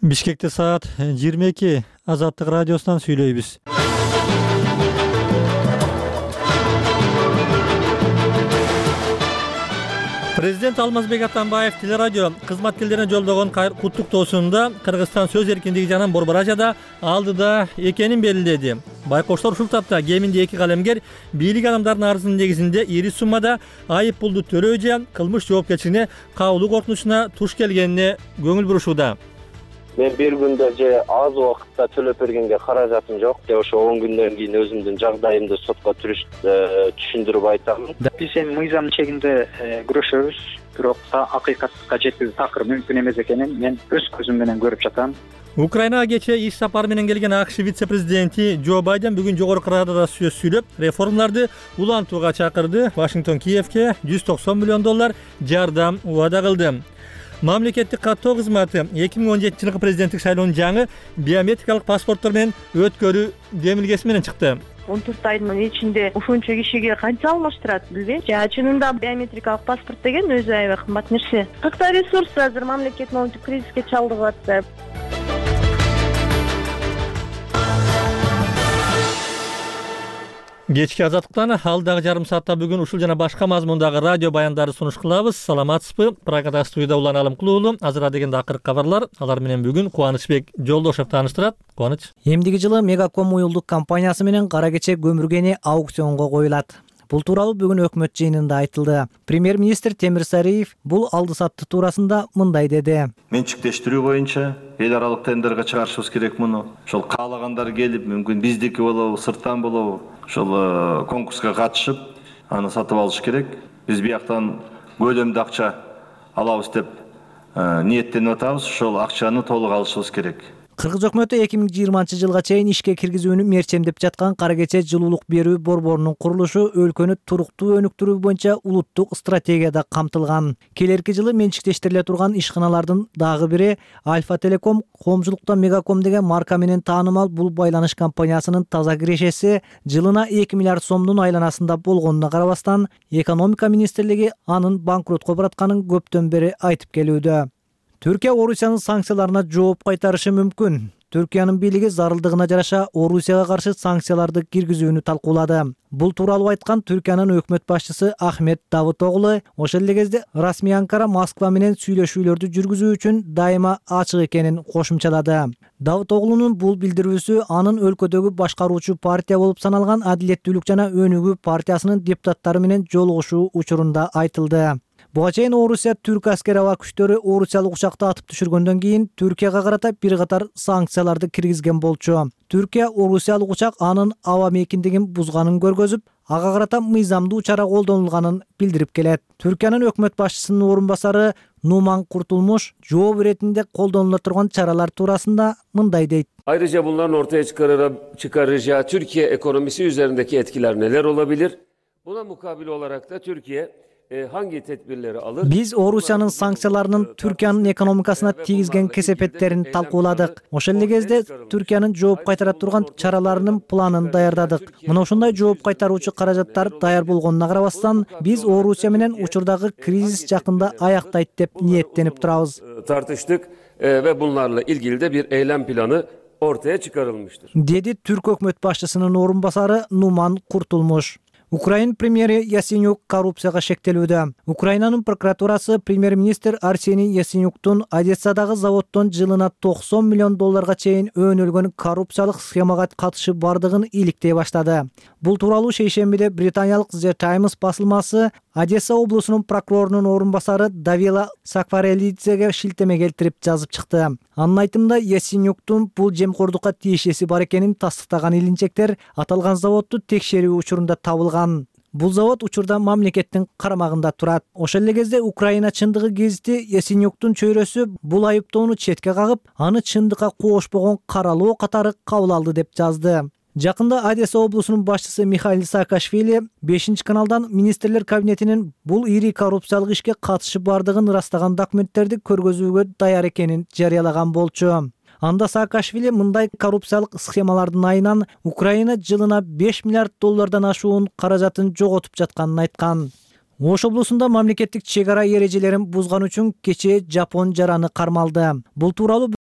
Бишкекте саат 22 Азаттык радиосунан сүйлөйбүз. Президент Алмазбек Атамбаев телерадио кызматкерлерине жолдогон куттуктоосунда Кыргызстан сөз эркиндиги жагынан Борбор Азияда алдыда экенин белгиледи. Байкоштор ушул тапта кеминде 2 калемгер бийлик адамдарынын арызынын негизинде ири суммада айып пулду төлөө же кылмыш жоопкерчилигине кабылуу коркунучуна туш келгенине көңүл бурушууда. Мен бир күндө же аз убакытта төлөп бергенге каражатым жок. Ошо 10 күндөн кийин өзүмдүн жагдайымды сотко түшүндүрүп айтамын. Биз эми мыйзам чегинде күрөшөбүз, бирок акыйкатка жеткизүү такыр мүмкүн эмес экенин мен өз көзүм менен көрүп жатам. Украинага кечээ иш сапары менен келген АКШ вице-президенти Джо Байден бүгүн Жогорку Радада сөз сүйлөп, реформаларды улантууга чакырды. Вашингтон Киевке $190 миллион жардам убада кылды. Мамлекеттик каттоо кызматы 2017 жылкы президенттик шайлоонун жаңы биометрикалык паспорттор менен өткөрүү демилгеси менен чыкты. 14 айдын ичинде ушунча кишиге канча алмаштырат билбейм. Чынында биометрикалык паспорт деген өзү аябай кымбат нерсе. Кыргызстан ресурсы азыр мамлекет моунчу кризиске чалдыгып атты. Кечки азаттыктан алдагы жарым саатта бүгүн ушул жана башка мазмундагы радио баяндарды сунуш кылабыз. Саламатсызбы? Программада студияда Улан Алымкулуулу. Азыр дегенде акыркы кабарлар. Алар менен бүгүн Кубанычбек Жолдошев тааныштырат. Кубаныч. Эмдиги жылы Мегаком уюлдук компаниясы менен кара кече көмүргени аукционго коюлат. Бул тууралуу бүгүн өкмөт жыйынында айтылды. Премьер-министр Темир Сариев бул алды-сатты туурасында мындай деди. Менчиктештирүү боюнча эл аралык тендерге чыгарышыбыз керек муну. Ошол каалагандар келип, мүмкүн биздики болобу, сырттан болобу, ошол конкурска катышып, аны сатып алыш керек. Биз бияктан көлөмдүү акча алабыз деп ниеттенип атабыз. Ошол акчаны толук алышыбыз керек. Кыргыз өкмөтү 2020 жылга чейин ишке киргизүүнү мерчемдеп жаткан кара кече жылуулук берүү борборунун курулушу өлкөнү туруктуу өнүктүрүү боюнча улуттук стратегияда камтылган. Келерки жылы менчиктештириле турган ишканалардын дагы бири Альфа Телеком, коомчулукта Мегаком деген марка менен таанымал бул байланыш компаниясынын таза кирешеси жылына 2 миллиард сомдун айланасында болгонуна карабастан, экономика министрлиги анын банкротко баратканын көптөн бери айтып келүүдө. Түркия Орусиянын санкцияларына жооп кайтарышы мүмкүн. Түркиянын бийлиги зарылдыгына жараша Орусияга каршы санкцияларды киргизүүнү талкуулады. Бул тууралуу айткан Түркиянын өкмөт башчысы Ахмет Давутоглу ошол эле кезде расмий Анкара Москва менен сүйлөшүүлөрдү жүргүзүү үчүн дайыма ачык экенин кошумчалады. Давутоглунун бул билдирүүсү анын өлкөдөгү башкаруучу партия болуп саналган Адилеттүүлүк жана Өнүгүү партиясынын депутаттары менен жолугушуу учурунда айтылды. Буга чейин Орусия түрк аскери аба күчтөрү орусиялык учакты атып түшүргөндөн кийин Түркияга карата бир катар санкцияларды киргизген болчу. Түркия орусиялык учак анын аба мейкиндигин бузганын көргөзүп, ага карата мыйзамдуу чара колдонулганын билдирип келет. Түркиянын өкмөт башчысынын орун басары Нуман Куртулмуш жооп иретинде колдонула турган чаралар туурасында мындай дейт. Ayrıca bunların ortaya çıkaracağı Türkiye ekonomisi üzerindeki etkiler neler olabilir? Buna mukabil olarak da Türkiye hangi tedbirleri alır? Биз Орусиянын санкцияларынын Түркиянын экономикасына тийгизген кесепеттерин талкууладык. Ошол эле кезде Түркиянын жооп кайтара турган чараларынын планын даярдадык. Мына ушундай жооп кайтаруучу каражаттар даяр болгонуна карабастан, биз Орусия менен учурдагы кризис жакында аяктайт деп ниеттенип турабыз. Tartıştık ve bunlarla ilgili de bir eylem planı ortaya çıkarılmıştır. Dedi Türk өкмөт башчысынын орун басары Нуман Куртулмуш. Украин премьери Яценюк коррупцияга шектелүүдө. Украинанын прокуратурасы премьер-министр Арсений Яценюктун Одессадагы заводдон жылына $90 миллион чейин өөнөлгөн коррупциялык схемага катышы бардыгын иликтей баштады. Бул тууралуу шейшембиде британиялык The Times басылмасы Одесса облусунун прокурорунун орун басары Давила Сакварелидзеге шилтеме келтирип жазып чыкты. Анын айтымында Яценюктун бул жемкордукка тиешеси бар экенин тастыктаган илинчектер аталган заводду текшерүү учурунда табылган. Бул завод учурда мамлекеттин карамагында турат. Ошол эле кезде Украина чындыгы гезити Яценюктун чөйрөсү бул айыптоону четке кагып, аны чындыкка кошпогон каралоо катары кабыл алды деп жазды. Жакында Одесса облусунун башчысы Михаил Саакашвили 5-каналдан министрлер кабинетинин бул ири коррупциялык ишке катышы бардыгын ырастаган документтерди көргөзүүгө даяр экенин жарыялаган болчу. Анда Саакашвили мындай коррупциялык схемалардын айынан Украина жылына $5 миллиард ашуун каражатын жоготуп жатканын айткан. Ош облусунда мамлекеттик чек ара эрежелерин бузган үчүн кечээ Жапон жараны кармалды. Бул тууралуу